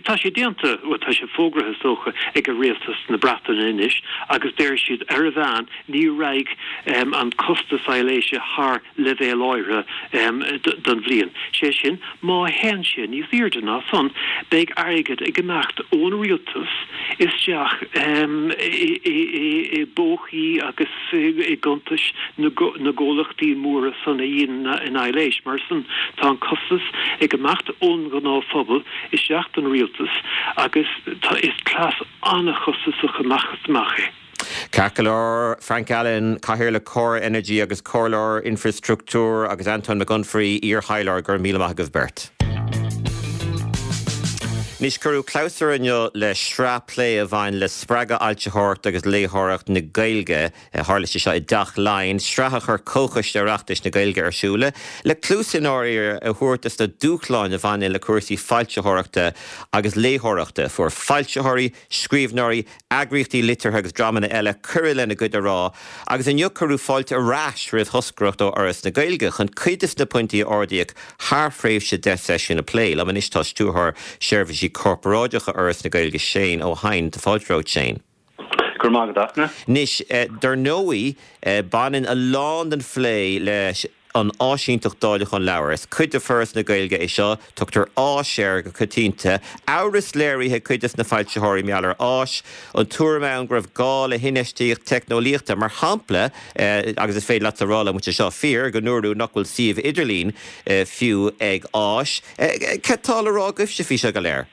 Tá sé déanta, bhuel tá sé fógraithe is dócha ag rialtas na Breataine anois agus deir siad ar a mheán ní raghaidh an costas aibhléise thar leibhéal áirithe don bhliain. Sé sin, má théann sé níos airde ná san, beidh airgead ag imeacht ón rialtas isteach i bpócaí agus i gcuntais na gcomhlachtaí móra san a dhéanann an aibhléis. Mar san, tá an costas ag imeacht ón ngnáthphobal isteach don rialtas agus is cleas an-chostasach amach is amach é. Ceart go leor, Frank Allen, Cathaoirleach Corr Energy agus Comhairleoir Infreastruchtúir agus Antoin Mac Unfraidh, iar-thaidhleoir, go raibh míle maith agaibh beirt. Anois, cuireadh clabhsúr inniu le sraith plé a bhain le spreagadh fhoilsitheoireacht agus léitheoireacht na Gaeilge. Tharla sé seo i dTeach Laighean, sraith a chuir Comhchoiste Oireachtais na Gaeilge ar siúl le cluas inár ear a thabhairt dos na dúshláin a bhaineann le cúrsaí foilsitheoireachta agus léitheoireachta. Fuair foilsitheoirí, scríbhneoirí, eagraíochtaí liteartha agus dreamanna eile cuireadh lena gcuid a rá agus inniu cuireadh fáilte ar ais roimh thoscaireacht ó Fhoras na Gaeilge chun cuid de na pointí a ardaíodh thar thréimhse deich seisiún a phlé. Liom anois tá Stiúrthóir Seirbhísí Corparáideacha Fhoras na Gaeilge, Shane Ó hEidhin. Tá fáilte romhat, Shane. Go raibh maith agat, Fhachtna. Anois, dar ndóigh, baineann a lán den phlé leis an áisínteacht dáileacháin leabhar. Is cuid de Foras na Gaeilge é seo. Tugtar Áis air go coitianta. Amhras léirithe ag cuid de na foilsitheoirí mar gheall ar Áis. An tuairim ann go raibh gá le hinfheistíocht teicneolaíochta, mar shampla, agus is féidir leat a rá liom an bhfuil sé seo fíor, go ndúradh nach bhfuil suíomh idirlín fiú ag Áis. Cad tá le rá agaibhse faoi seo go léir?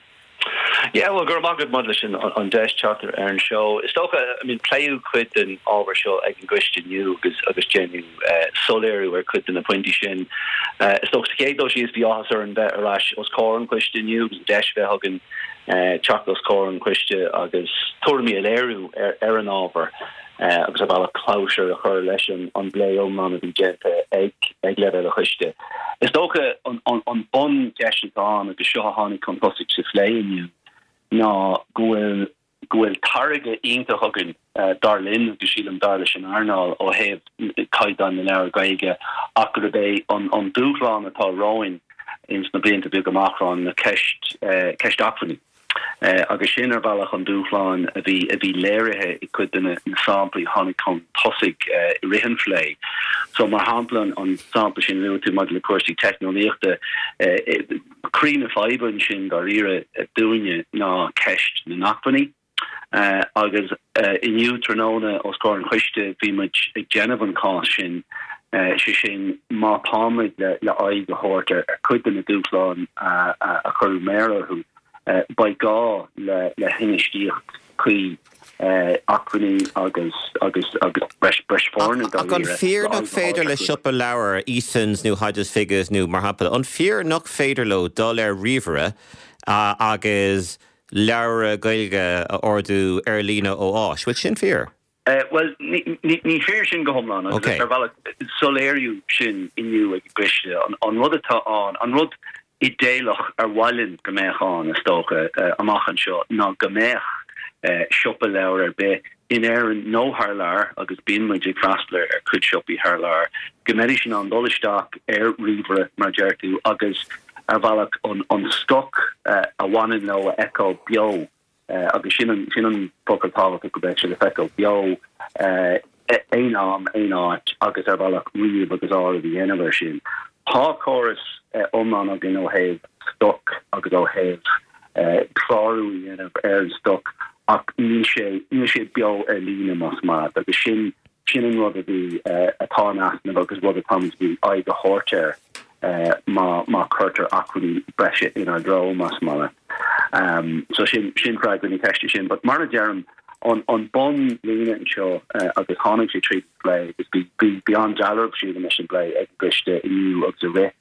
Yeah, bhuel, go raibh maith agat maidir leis an deis teacht ar an seó. Is dócha, I mean, pléadh cuid den ábhar seo ag an gcoiste inniu agus agus déanadh soiléiriú ar cuid de na pointí sin. Is dócha, sa chéad dul síos, bhí áthas orainn bheith ar ais os comhair an choiste inniu agus an deis a bheith againn teacht os comhair an choiste agus tuairimí a léiriú ar ar an ábhar. agus ar bhealach clabhsúr a chur leis an bplé iomlán a bhí déanta ag ag leibhéal an choiste. Is dócha an buncheist atá ann, agus seo a tháinig chun tosaigh sa phlé inniu, ná go bhfuil go bhfuil táirge iontach againn, dar linn agus sílim dar leis an earnáil, ó thaobh caighdeán na leabhar Gaeilge ach gurb é an dúshlán atá romhainn ins na blianta beaga amach romhainn ná ceist ceist acmhainní. Agus sin ar bhealach an dúshlán a bhí a bhí léirithe i gcuid de na samplaí a tháinig chun tosaigh i rith an phlé. So mar shampla an sampla sin a luaigh tú maidir le cúrsaí teicneolaíochta, croí na faidhbe ansin dáiríre dúinne ná ceist na n-acmhainní. Agus inniu tráthnóna os comhair an choiste bhí muid ag déanamh an cás sin, sé sin má táimid le aghaidh a thabhairt ar chuid de na dúshláin a cuireadh méar orthu, beidh gá le hinfheistíocht chuí acmhainní agus agus agus breis breis foirne Ach an dáiríre fíor le nach aghaidh a féidir thabhairt le orthu. siopa leabhar, Easons nó Hodges Figgis nó mar shampla, an fíor nach féidir leo dul ar ríomhaire agus leabhra Gaeilge a ordú ar líne ó Áis. Bhfuil sin fíor? Bhuel, ní fíor sin go hiomlán agus ar bhealach soiléiríodh sin inniu ag an gcoiste. An rud atá ann, an rud idéalach ar mhaith linn go mbeadh ann, is dócha, amach anseo ná go mbeadh siopa leabhar ar bith in Éirinn nó thar lear, agus bíonn muid ag freastal ar chuid siopaí thar lear, go mbeidís in ann dul isteach ar ríomhaire, mar a deir tú, agus ar bhealach an stoc a bhaineann leo a fheiceáil beo agus sin an sin an focal tábhachtach go mbeadh sé le feiceáil beo aon am, aon áit agus ar bhealach ríomh agus áireamh a dhéanamh air sin. Tá córas iomlán againn ó thaobh stoc agus ó thaobh clárú a dhéanamh ar an stoc ach níl sé níl sé beo ar líne más maith leat agus sin sin an rud a bhí atá in easnamh agus rud atáimid ag aghaidh a thabhairt air. má má cuirtear acmhainní breise inár dtreo, más maith leat. So sin sin freagra na ceiste sin, but mar a deirim an an bunlíne anseo agus tháinig sé tríd an bplé agus bhí bhí bhí an-dealramh sílim leis an bplé ag an gcoiste inniu agus i rith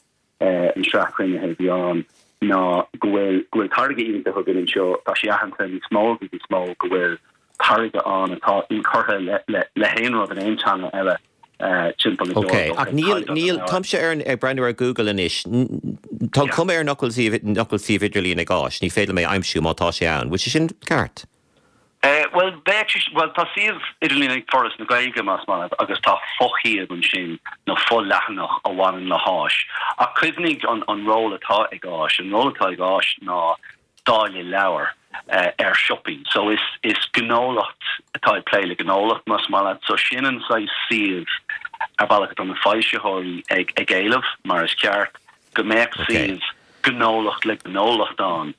an sraith cruinnithe a bhí ann ná go bhfuil go bhfuil táirge iontach againn anseo tá sé aitheanta níos mó agus níos mó go bhfuil táirge ann atá inchurtha le le le haon rud in aon teanga eile timpeall na Ok, ach níl níl táimse ar an ag breathnú ar Google anois tá an cuma air nach bhfuil suíomh nach bhfuil suíomh idirlín ag Áis, ní féidir liom é a aimsiú má tá sé ann, bhfuil sé sin ceart? Bhuel, bheadh sé, bhuel tá suíomh idirlín ag Foras na Gaeilge más maith leat agus tá foshuíomh ansin nó fo-leathanach a bhaineann le hÁis. Ach cuimhnigh an an ról atá ag Áis, an ról atá ag Áis ná dáileadh leabhar ar siopaí. So is is gnólacht atá ag plé le gnólacht más maith leat. So sin an saghas suíomh ar bhealach atá na foilsitheoirí ag ag éileamh mar is ceart go mbeadh suíomh gnólacht le gnólacht ann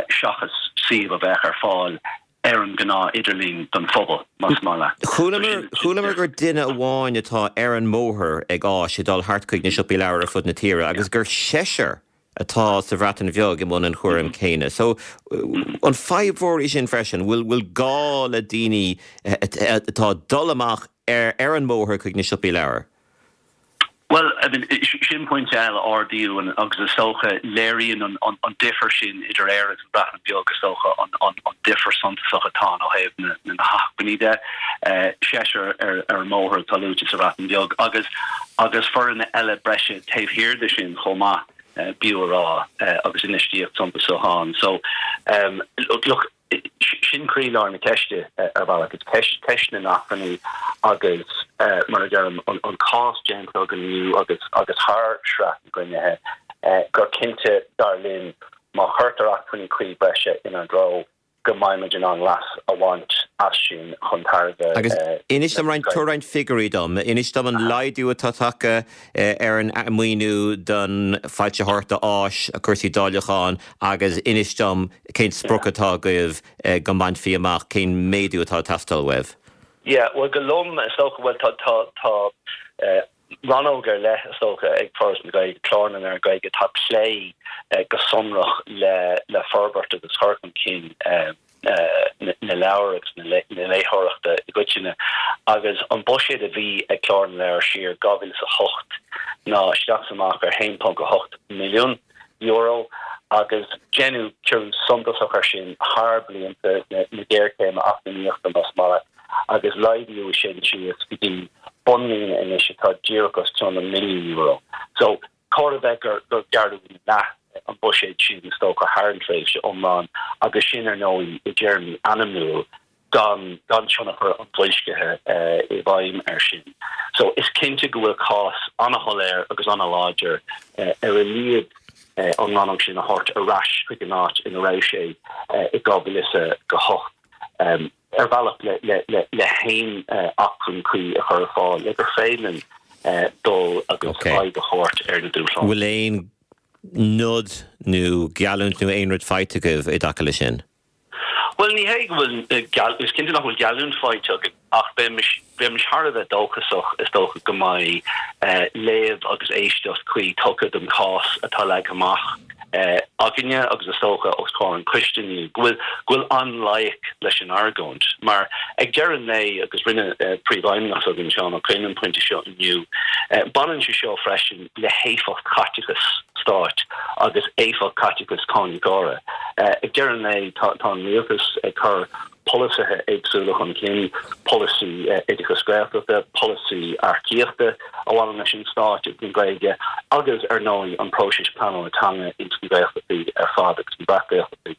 seachas suíomh a bheadh ar fáil ar an ngnáth idirlíon don phobal, más maith leat. Chualamar chualamar gur duine amháin atá ar an mbóthar ag Áis ag dul thart chuig na siopaí leabhar ar fud na tíre agus gur seisear atá sa Bhreatain Bheag i mbun an chúraim céanna. So an fadhb mhór í sin freisin? Bhfuil bhfuil gá le daoine atá ag dul amach ar ar an mbóthar chuig na siopaí leabhar? Bhuel, I mean, sin pointe eile a ardaíodh agus is dócha léiríonn an an difear sin idir Éire agus an Bhreatain Bheag is dócha an an an difear suntasach atá ann ó thaobh na na hacmhainní de. Seisear ar ar an mbóthar atá luaite sa Bhreatain Bheag agus agus foireann eile breise taobh thiar de sin chomh maith, b'fhiú a rá, agus infheistíocht suntasach ann. So, look, Sin croílár na ceiste ar bhealach. Is ceist ceist na n-acmhainní agus, mar a deirim, an cás déanta againn inniu agus agus thar shraith na gcruinnithe gur cinnte, dar linn, má chuirtear acmhainní cuí breise inár dtreo, go mbeimid in ann leas a bhaint as sin chun tairbhe Agus inis dom roinnt, tabhair roinnt figiúirí dom. Inis dom an laghdú atá tagtha ar an maoiniú don foilsitheoireacht Áis, cúrsaí dáileacháin agus inis dom cén sprioc atá agaibh go mbainfí amach, cén méadú atá ag teastáil uaibh? Yeah, bhuel go lom is dócha, bhuel tá, tá, tá rannóg ar leith is dócha ag Foras na Gaeilge, Clár na Leabhar Gaeilge, atá ag plé go sonrach le, le forbairt agus cur chun cinn na leabhar agus na léitheoireachta i gcoitinne. Agus an buiséad a bhí ag Clár na Leabhar siar dhá mhíle is a hocht ná isteach is amach ar haon ponc a hocht milliún euro agus deineadh ciorrú suntasach air sin thar blianta na géarchéime eacnamaíochta más maith leat agus laghdaíodh sin síos go dtí bunlíne anois atá díreach os cionn an milliún euro. So chóir a bheith gur gur gearradh ina leath an buiséad sin is dócha thar an tréimhse iomlán agus sin ar ndóigh i dtéarmaí ainmniúil gan gan tionchar an bhoilscithe i bhfeidhm air sin. So is cinnte go bhfuil cás an-shoiléir agus an-láidir ar a laghad an rannóg sin a thabhairt ar ais chuig an áit ina raibh sé i dhá mhíle is a hocht ar bhealach le le le le haon acmhainn cuí a chur ar fáil le gur féidir linn dul agus aghaidh a thabhairt ar na dúshláin. Bhfuil aon nod nó geallúint nó aon rud faighte agaibh i dtaca leis sin? Bhuel, ní hé go bhfuil, is cinnte nach bhfuil geallúint faighte againn ach bheimis, bheimis thar a bheith dóchasach, is dócha, go mbeidh léamh agus éisteacht cuí tugtha don chás atá leagtha amach againne agus is dócha os comhair an choiste inniu, go bhfuil, go bhfuil an-loighic leis an argóint. Mar ag deireadh an lae, agus rinne Príomhfheidhmeannach s'againn, Seán Ó Coinn, an pointe seo inniu, baineann sé seo freisin le héifeacht chaiteachas stáit agus éifeacht caiteachas cáiníocóra. Ag deireadh an lae, tá an rialtas ag cur polasaithe éagsúla chun cinn, polasaí oideachais Gaeltachta, polasaí earcaíochta a bhaineann leis an stát agus an Ghaeilge agus, ar ndóigh, an próiseas pleanála teanga ins na Gaeltachtaí ar fad agus na Breac-Ghaeltachtaí.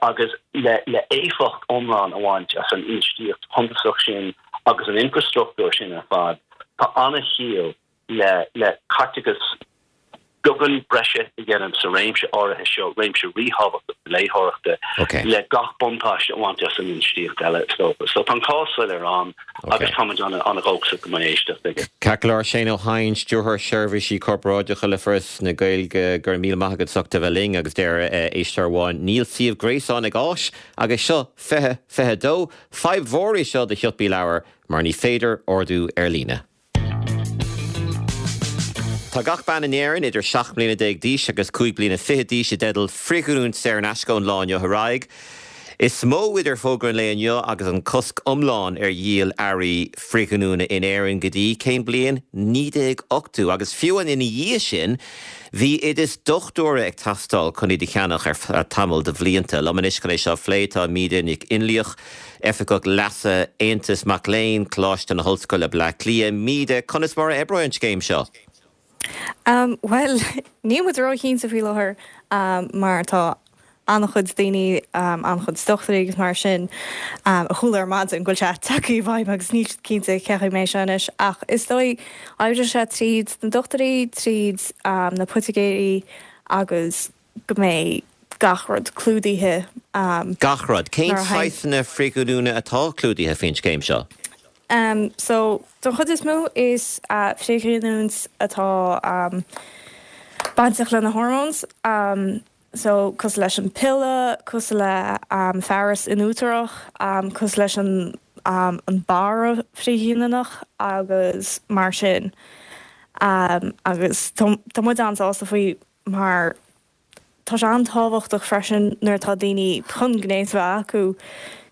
Agus le éifeacht iomlán a bhaint as an infheistíocht shuntasach sin agus an infreastruchtúr sin ar fad, tá an-chiall le le caiteachas beagán breise a dhéanamh sa réimse áirithe seo, réimse ríthábhachtach na léitheoireachta, le gach buntáiste a bhaint as an infheistíocht eile, is dócha. So tá an cás soiléir ann agus táimid an-dhóchasach go mbeidh éisteacht aige. Ceart go leor, Shane Ó hEidhin, Stiúrthóir Seirbhísí Corparáideacha le Foras na Gaeilge, go raibh míle maith agat as ucht a bheith linn agus deir éisteoir amháin, níl suíomh gréasáin ag Áis agus seo fiche fiche dó. Fadhb mhór í seo do shiopaí leabhar mar ní féidir ordú ar líne. Tá gach bean in Éirinn idir seacht mbliana déag d'aois agus cúig bliana fiche d'aois i dteideal frithghiniúint saor in aisce ón lá inniu ar aghaidh. Is mó idir fógra an lae inniu agus an cosc iomlán ar dhíol earraí frithghiniúna in Éirinn go dtí cén bliain? naoi déag ochtó agus fiú ina dhiaidh sin bhí oideas dochtúra ag teastáil chun iad a cheannach ar feadh tamall de bhlianta. Liom anois chun é seo a phlé tá Míde Nic Fhionnlaoich, Oifigeach Leasa Aontas Mac Léinn, Coláiste na hOllscoile Bleá Cliath. Míde, conas mar a oibreoidh an scéim seo? Um, well, níl muid róchinnte faoi láthair um, mar tá an-chuid daoine um, an-chuid dochtúirí agus mar sin um, a chuala ar maidin go bhfuil sé tagtha i bhfeidhm agus níl cinnte cén chaoi mé seo anois ach is dóigh oibreoidh sé tríd na dochtúirí tríd um, na poitigéirí agus go mbeidh gach rud clúdaithe. Um, gach rud. Cén saghsanna frithghiniúna atá clúdaithe faoin scéim seo? Um, so don chuid is mó is uh, frithghiniúint atá um, bainteach le na hormones. Um, so cosúil leis an piolla, cosúil le um, fearas in útarach, um, cosúil leis an, um, an barra frithghiniúnach agus mar sin. Um, agus tá muid an-sásta faoi mar tá sé an-tábhachtach freisin nuair atá daoine chun gnéas bheith acu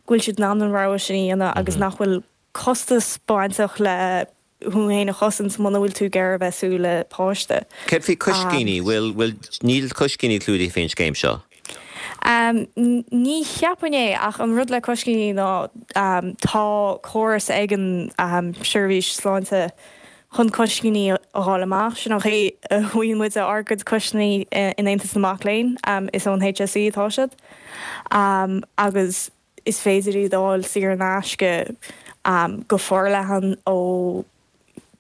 go bhfuil siad in ann an rogha sin a dhéanamh agus mhm. nach bhfuil costas bainteach le thú féin a chosaint muna bhfuil tú ag iarraidh bheith suas le páiste. Céard faoi coiscíní bhfuil bhfuil níl coiscíní clúdaithe faoin scéim seo? Um, ní cheapaim é ach an rud le coiscíní ná um, tá córas ag an um, seirbhís sláinte chun coiscíní a fháil amach sin an chaoi a bhfaigheann muid ár gcuid coiscíní in Aontas na Mac Léinn um, is ón HSE atá siad um, agus is féidir iad a fháil saor in aisce um, go forleathan ó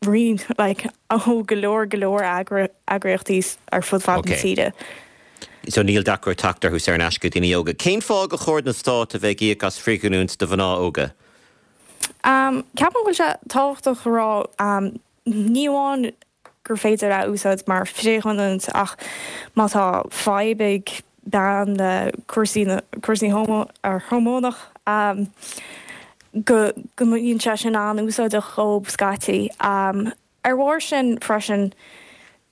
roinnt like, ó go leor go leor eagraíochtaí ar fud fad na tíre. So níl deacracht teacht orthu saor in aisce daoine óga. Cén fáth gur chóir don stát a bheith ag íoc as frithghiniúint do mhná óga? Um, Ceapaim go bhfuil sé tábhachtach rá um, ní amháin gur féidir a úsáid mar frithghiniúint ach má tá fadhb ag bean le cúrsaí cúrsaí homo ar hormónach um, go go mbíonn sé sin an-úsáideach dóibh scaití. Um, ar bharr sin freisin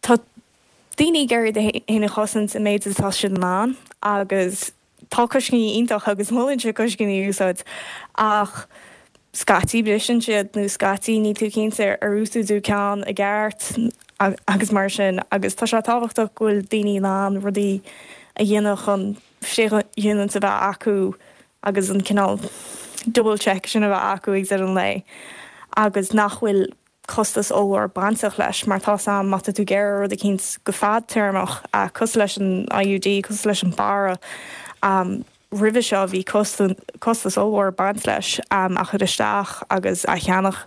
tá daoine ag iarraidh iad féin a chosaint an méid atá siad in ann agus tá coiscíní iontach agus molaimse coiscíní a úsáid ach scaití briseann siad nó scaití níl tú cinnte ar úsáideadh ceann i gceart agus mar sin agus tá sé tábhachtach go bhfuil daoine in ann rudaí a dhéanamh chun frithghiniúint a bheith acu agus an cineál double check sin a bheith acu ag deireadh an lae agus nach bhfuil costas ollmhór bainteach leis mar tá sam má tá tú ag iarraidh rud eicínt go fadtéarmach cosúil leis an IUD cosúil leis an barra um, roimhe seo bhí costas ollmhór baint leis um, a chur isteach agus a cheannach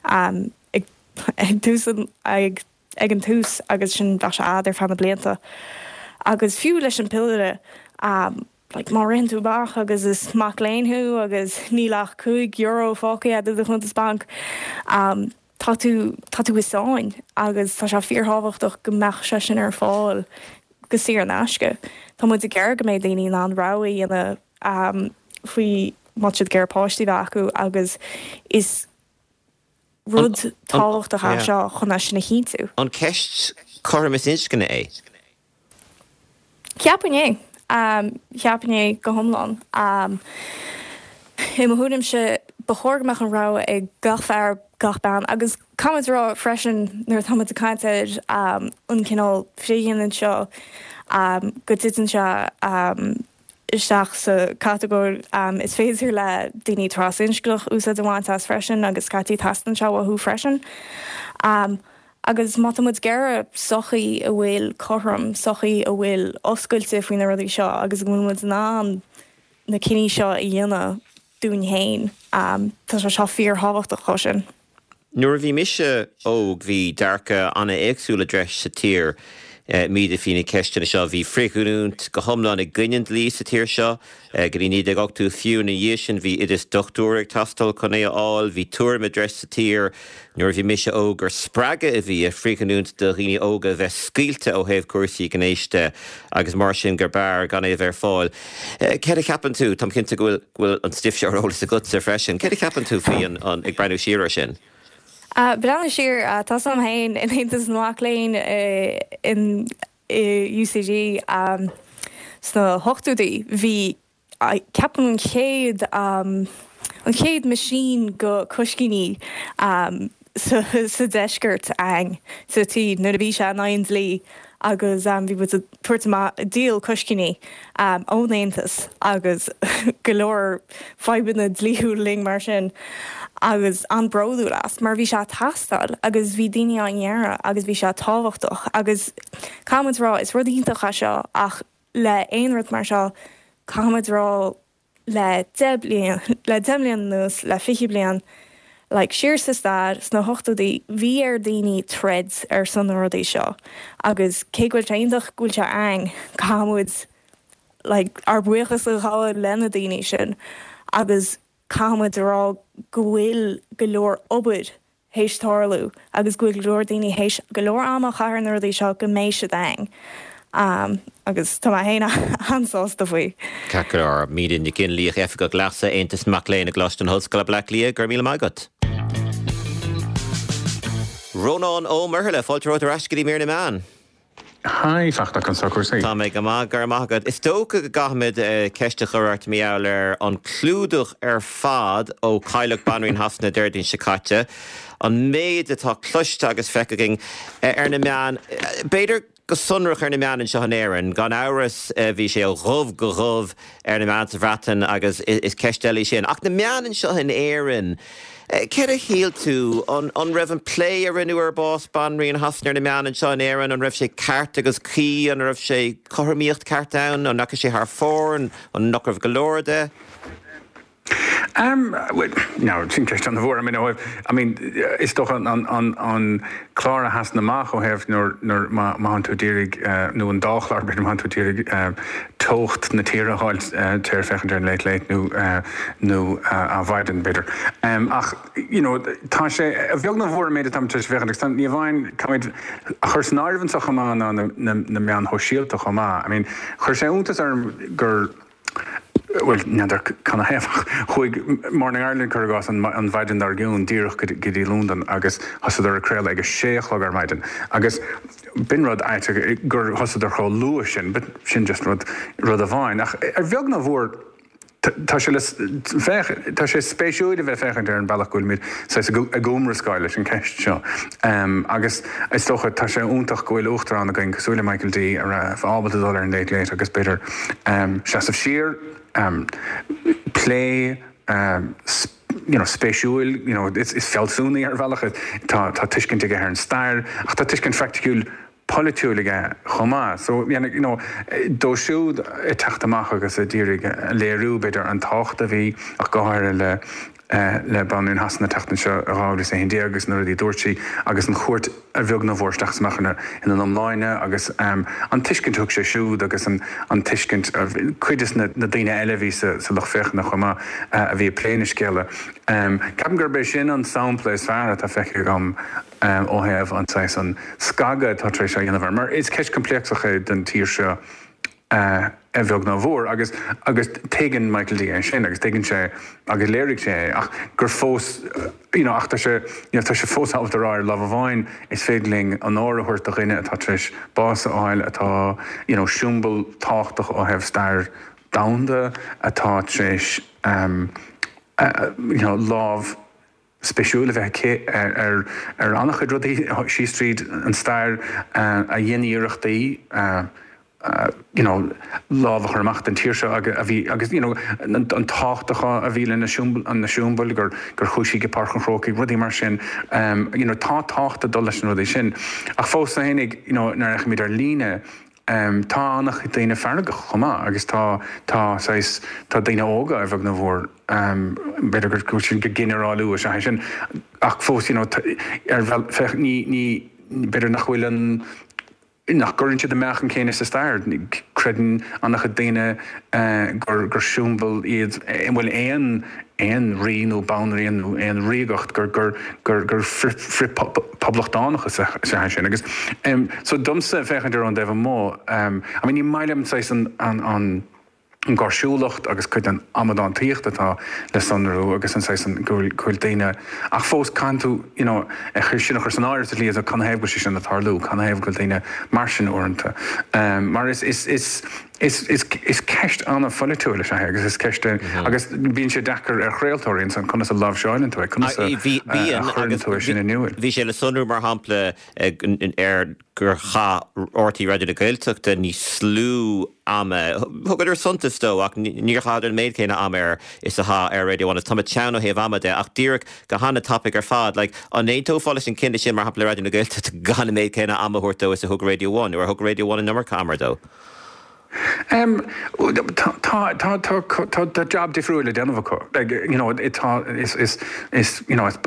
um, ag, ag tús ag, ag an tús agus sin bheadh sé ar feadh na blianta. Agus fiú leis an piolla um, like, má ritheann tú amach agus is mac léinn thú agus níl ach cúig euro fágtha i do chuntas bainc. Um, tá tú tá tú i sáinn agus tá sé fíorthábhachtach go mbeadh sé sin ar fáil go saor in aisce. Tá muid ag iarraidh go mbeidh daoine in ann rogha a dhéanamh um, faoi má tá siad ag iarraidh páistí bheith acu agus is rud tábhachtach é seo chun é sin a chinntiú. An ceist cothromas inscne é? Ceapaim é. Um, Ceapaim é go hiomlán. Um, I mo thuairimse ba chóir go mbeadh an rogha ag gach fear gach bean agus caithfimid rá freisin nuair atáimid ag caint ar um, an cineál frithghiniúint seo um, go dtiteann sé um, isteach sa catagóir um, is féidir le daoine trasinscneach úsáid a bhaint as freisin agus scaití teastaíonn sé uathu freisin. Um, agus má tá muid ag iarraidh sochaí a bhfuil cothrom, sochaí a bhfuil oscailte faoi na rudaí seo agus go bhfuil muid in ann na cinní seo a dhéanamh dúinn féin. Um, tá sé seo fíorthábhachtach chomh sin. Nuair a bhí mise óg bhí dearcadh an-éagsúil i dtreis sa tír Míde faoi na ceisteanna seo bhí frithghiniúint go hiomlán i gcoinne an dlí sa tír seo go dtí naoi déag ochtó fiú ina dhiaidh sin bhí oideas dochtúra ag teastáil chun é a fháil, bhí tuairim i dtreis sa tír nuair a bhí mise óg gur spreagadh a bhí i bhfrithghiniúint do dhaoine óga a bheith scaoilte ó thaobh cúrsaí gnéis de agus mar sin gur b'fhearr gan é a bheith ar fáil. Céard a cheapann tú? Táim cinnte go bhfuil go bhfuil an stuif seo ar eolas agatsa freisin. Céard a cheapann tú faoi an ag breathnú siar air sin? Breathnú siar, tá a fhios agam féin in Aontas na Mac Léinn in U C D sna hochtóidí, bhí, ceapaim, an chéad an chéad machine go coiscíní sa sa deisceart againn sa tír nuair a bhí sé in aghaidh an dlí agus um, bhí muid ag tabhairt amach díol coiscíní um, ón Aontas agus go leor fadhbanna dlíthiúil linn mar sin agus an-bhródúil as mar bhí sé ag teastáil agus bhí daoine á iarraidh agus bhí sé tábhachtach agus caithfimid rá is rud iontach é seo ach le aon rud mar seo caithfimid rá le deich bliain le deich mbliana anuas le fiche bliain like siar sa stair sna hochtóidí bhí ar daoine troid ar son na rudaí seo agus cé go bhfuil sé iontach go bhfuil sé ann caithfimid like ár buíochas a ghabháil lena daoine sin agus caithfimid rá go bhfuil go leor obair théis tarlú agus go bhfuil go leor daoine théis go leor ama a chaitheamh ar na rudaí seo go mbeidh siad ann. Um, agus tá mé féin an-sásta faoi. Ceart go leor. Míde Nic Fhionnlaoich, Oifigeach Leasa Aontas Mac Léinn i gColáiste na hOllscoile Bleá Cliath, go raibh míle maith agat. Rónán Ó Muirthile, fáilte romhat ar ais go dtí mír na meán. Hi, Fachtna, conas tá cúrsaí. Tá mé go maith, go raibh maith agat. Is dócha go gcaithfimid ceist a chur ort mar gheall ar an clúdach ar fad ó cailleadh Banríon Shasana Déardaoin seo caite. An méid atá cloiste agus feicthe againn ar na meáin, b'fhéidir go sonrach ar na meáin anseo in Éirinn, gan amhras bhí sé ó dhubh go dubh ar na meáin sa Bhreatain agus is ceist eile í sin. Ach na meáin anseo in Éirinn, céard a shíl tú an an raibh an plé a rinneadh ar bás Banríon Shasana ar na meáin anseo in Éirinn, an raibh sé ceart agus cuí, an raibh sé cothromaíocht ceart ann, an ndeachaigh sé thar fóir, an nach raibh go leor de? Um, well, no, sin ceist an-mhór. I mean, I mean, is dócha an, an, an, an clár a sheasann amach ó thaobh nuair nuair má má tú d'iarraidh uh, nó an dá chlár b'fhéidir má tú d'iarraidh uh, teocht na tíre a fháil uh, téir féachaint ar an Late Late nó uh, nó uh, Adhmhaidin b'fhéidir. Um, ach you know, tá sé a bheag nó mhór méid tam féachaint agus ní amháin caithfimid a chur san áireamh anseo chomh maith ná na, na, na meáin shóisialta chomh maith. I mean, chuir sé iontas orm gur well n'fheadar canathaobh chuaigh Morning Ireland cuir i gcás an, an mhaidin dár gcionn díreach go dtí Londain agus thosaíodar ag craoladh ag a sé a chlog ar maidin. Agus b'in rud aisteach gur thosaíodar chomh luath sin, but sin just rud rud amháin. Ach ar bheag nó mhór tá sé féach tá sé spéisiúil a bheith féachaint ar an bealach go bhfuilimid ag iomrascáil leis an ceist seo. Um, agus is dócha tá sé iontach go bhfuil uachtarán againn cosúil le Michael D a raibh ábalta dul ar an Late Late agus b'fhéidir um, seasamh siar um, plé um, you know, spéisiúil, you know, is, is fealsúnaí ar bhealach tá tá tuiscint aige ar an stair, ach tá tuiscint phraiticiúil polaitiúil aige chomh maith. So you know, dó siúd ag teacht amach agus a d'iarraidh léiriú b'fhéidir an tábhacht a bhí ach go háirithe le uh, le Banríon Shasana teacht anseo i dhá mhíle is a haon déag agus na rudaí dúirt sí agus an chuairt a bheag nó mhór isteach amach ina ina iomláine agus um, an tuiscint thug sé siúd agus an, an tuiscint cuid de na, na daoine eile bhí sa, sa lucht féachana chomh maith uh, a bhí ag plé na scéala. Um, Ceapaim gurb é sin an sampla is fearr atá feicthe agam um, ó thaobh an saghas an scagadh atá tar éis a dhéanamh mar is ceist choimpléacsach é den tír seo uh, a bheag nó mhór agus agus tuigeann Michael D é sin agus tuigeann sé agus léirigh sé ach gur fós you know, ach tá sé you know, tá sé fós ábalta rá ar lámh amháin is féidir linn onóir a thabhairt do dhuine atá tar éis bás a fháil atá you know, siombail tábhachtach ó thaobh stair domhanda atá tar éis um, uh, you know, lámh spéisiúil a bheith aici ar ar ar an-chuid rudaí síos tríd an stair uh, a dhein iarrachtaí uh, Uh, you know, lámh a chur amach den tír seo agus a bhí agus you know, an, an tábhacht a bhí lena an na siombail gur gur chuaigh sí go Páirc an Chrócaigh rudaí mar sin um, you know, tá tábhacht ag dul leis an rudaí sin. Ach fós féinig you know, nuair a fheicimid ar líne um, tá an-chuid daoine feargach chomh maith agus tá tá saghas tá daoine óga a bheag nó mhór um, b'fhéidir gur go sin go ginearálú sé sin ach fós you know, ar féach ní ní b'fhéidir nach bhfuil an nach gcuireann siad an meáchan céanna sa stair. Creideann an-chuid daoine gur gur siombail iad bhfuil aon aon rí nó banríon nó aon ríogacht gur gur gur gur frith-phoblachtánach is ea sin. Agus um, so domsa féachaint ar an dtaobh amuigh um, I mean, ní maith liom an an an an gáirsiúlacht agus cuid den amadántaíocht atá le sonrú agus an saghas an go bhfuil daoine ach fós caithfidh tú you know é sin a chur san áireamh sa tslí is canathaobh go bhfuil sé sin ag tarlú, canathaobh go bhfuil daoine mar sin uaireanta. Mar is is is is is is ceist an-pholaitiúil is ea é agus is ceist agus bíonn sé deacair ar chraoltóirí ansan conas a láimhseáileann tú é, conas a chuireann tú é sin in iúl. Bhí sé le sonrú mar shampla ar gur chaith R T Raidió na Gaeltachta níos lú ama, thugadar suntas dó ach níor chaitheadar an méid céanna ama air is a chaith ar Radio One agus tá mé teann ó thaobh ama de ach díreach go han-tapaidh ar fad. Like, an aontófá leis an cinneadh sin mar shampla le Raidió na Gaeltachta gan an méid céanna ama a thabhairt dó is a thug Radio One nó ar thug Radio One an iomarca ama dó? Um, tá tá tá tá tá job difriúil le déanamh acu. Like, you know, it, tá is is is you know, is,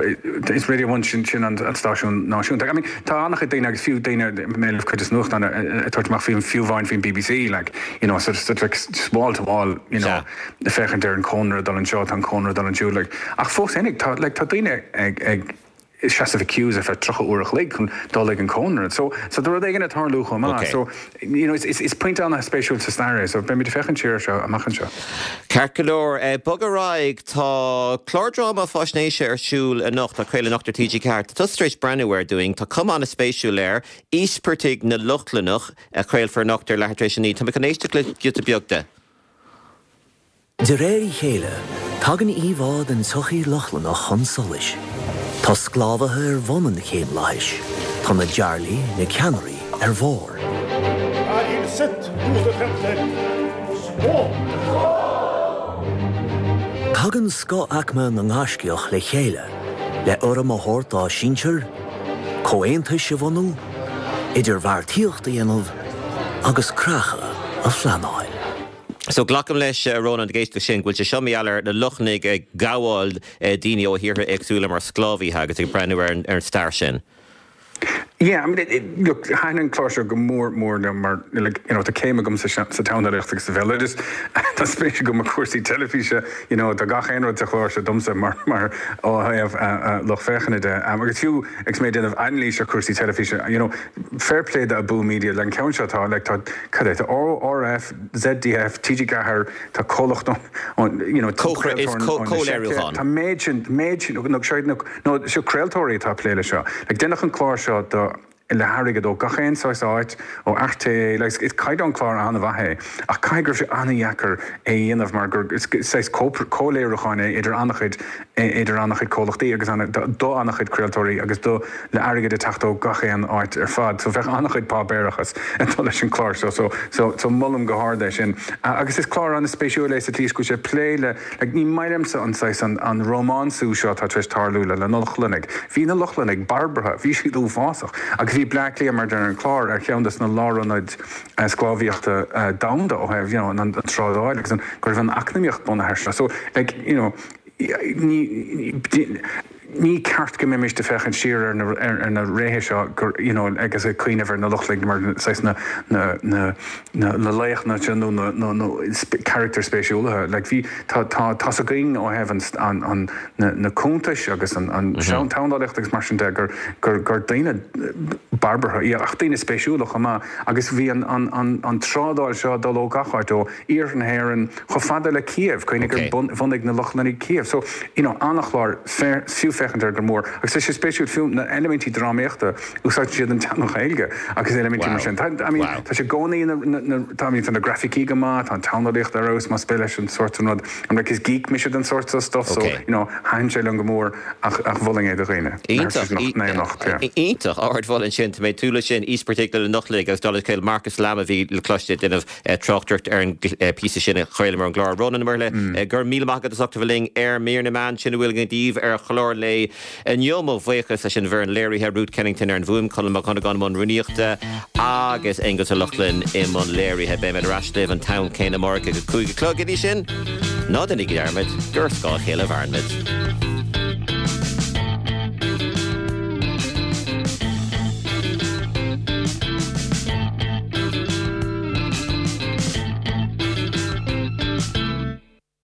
is Radio One sin sin an, an stáisiún náisiúnta. I mean, tá an-chuid daoine agus fiú daoine mé cuid de nuachtáin ag tabhairt amach faoin fiú amháin faoin B B C, like, you know, sort of, sort of like just wall to wall, you know, féachaint ar an cónra dul anseo, tá an cónra dul ansiúd, like, ach fós féinig, tá like, tá daoine ag ag seasamh i queues ar feadh tríocha uair a chloig chun dul ag an cónra. So, so tá rud éigin ag tarlú chomh maith. Okay. So, you know, is, is, is pointe an-spéisiúil sa stair é, so beimid ag féachaint siar seo amach anseo. Ceart go leor, eh, bog ar aghaidh, tá clár dráma faisnéise ar siúl anocht, tá craoladh anocht ar T G Ceathair. Tá tusa tar éis breathnú air dúinn, tá cuma an-spéisiúil air, Íospartaigh na Lochlannach a chraolfar anocht ar leathuair tar éis a naoi. Tá mé chun éisteacht le giota beag de. De réir a chéile, tagann íomhá den tsochaí Lochlannach chun solais. Tá sclábhaithe ar bhun an chéimlathais, tá na Jarlaí, na ceannairí ar bharr. Är hilset, gode templer. Skål! Tagann scothaicme na ngaiscíoch le chéile, le urraim a thabhairt dá sinsir, comhaontais a bhunú, idirbheartaíocht a dhéanamh agus creachadh a phleanáil. So glacaim leis a Rónán ag éisteacht sin go bhfuil sé seo mar gheall ar na Lochlannaigh ag gabháil daoine ó thíortha éagsúla mar sclábhaithe agus ag breathnú ar an stair sin. Yeah, I mean, it, it, look, thaitin an clár seo go mór mór liom mar like, you know, tá céim agam sa sa tseandálaíocht agus sa bhéaloideas tá spéis agam i gcúrsaí teilifíse, you know, tá gach aon rud sa chlár seo domsa mar mar ó thaobh uh, uh, lucht féachana de. Um, agus fiú ag mé déanamh anailís ar cúrsaí teilifíse, you know, fair play do Abú Media le an ceann seo tá like, tá cad é, tá R F, Z D F, T G Ceathair, tá comhlacht on, you know, is comhléiriúchán. Tá méid sin méid sin nó nó nó seo craoltóirí atá plé le seo. Like, déanach an clár seo do le hairgead ó gach aon saghas áit ó R T É, like, is caighdeán clár an-mhaith é ach caithfidh go raibh sé an-deacair é dhéanamh mar gur is saghas comhléiriúchán é idir an-chuid idir an-chuid comhlachtaí agus do an-chuid craoltóirí agus do le airgead ag teacht ó gach aon áit ar fad, so bheadh an-chuid páipéarachas ag dul leis an clár seo so so so molaim go hard é sin. Uh, agus is clár an-spéisiúil é sa tslí go sé plé le like, ní maith liomsa an saghas an, an rómánsú seo tá tar éis tarlú le le Lochlannaigh. Bhí na Lochlannaigh barbartha, bhí siad uafásach agus bhí Bleá Cliath mar ar an clár ar cheann des na lárionaid uh, sclábhaíochta uh, domhanda ó thaobh you know, an, an trádáil agus an go raibh an eacnamaíocht bunaithe seo. So like, you know, ní ní ceart go mbeimis ag féachaint siar ar na, ar, ar na réithe seo gur you know, agus ag cuimhneamh ar na Lochlannaigh mar saghas na na na na na laochra nó na na na character spéisiúlaithe. Like bhí tá tá tá a againn ó thaobh an an an na, na cuntais agus an an mm -hmm. seandálaíocht agus mar sin de gur gur gur daoine barbartha i ach daoine spéisiúla chomh maith agus bhí an an an an trádáil seo dul ó gach áit ó iarthar na hÉireann chomh fada le Kiev cuimhnigh Okay. gur bhunaigh na Lochlannaigh Kiev. So you know, an-chlár fiú féachaint ar go mór agus tá sé spéisiúil fiú na eilimintí drámaíochta úsáideann siad an teanga Ghaeilge agus eilimintí mar Wow. sin. Tá I mean, Wow. tá sé gcónaí tá tá na grafaicí go maith, tá an tseandálaíocht ar fheabhas más spéis leis an sórt an rud an like, is geek mise den sórt seo stuff so Okay. you know, thaitin sé liom go mór ach ach mholfainn é do dhaoine. Iontach Iontach ardmholadh sin tá mé túla sin Íospartaigh na Lochlannaigh agus dul chéil Marcus Lamb a bhí le cloisteáil ag déanamh tráchtaireacht ar an píosa sin a chraolamar an gclár Rónán Ó Muirthile gur míle maith agat as ucht a bheith linn ar Mír na Meán sin a bhfuil daoibh ar chlár lae inniu mo bhuíochas leis an bhfoireann léirithe Ruth Kennington ar an bhfuaim Colm Mac Cunagan mbun rúnaíochta agus Aonghus Ó Lochlainn i mbun léirithe beimid ar ais libh an t-am céanna amárach ag a cúig a chlog go dtí sin, ná déanaigí dearmad gur scáth a chéile a mhairimid.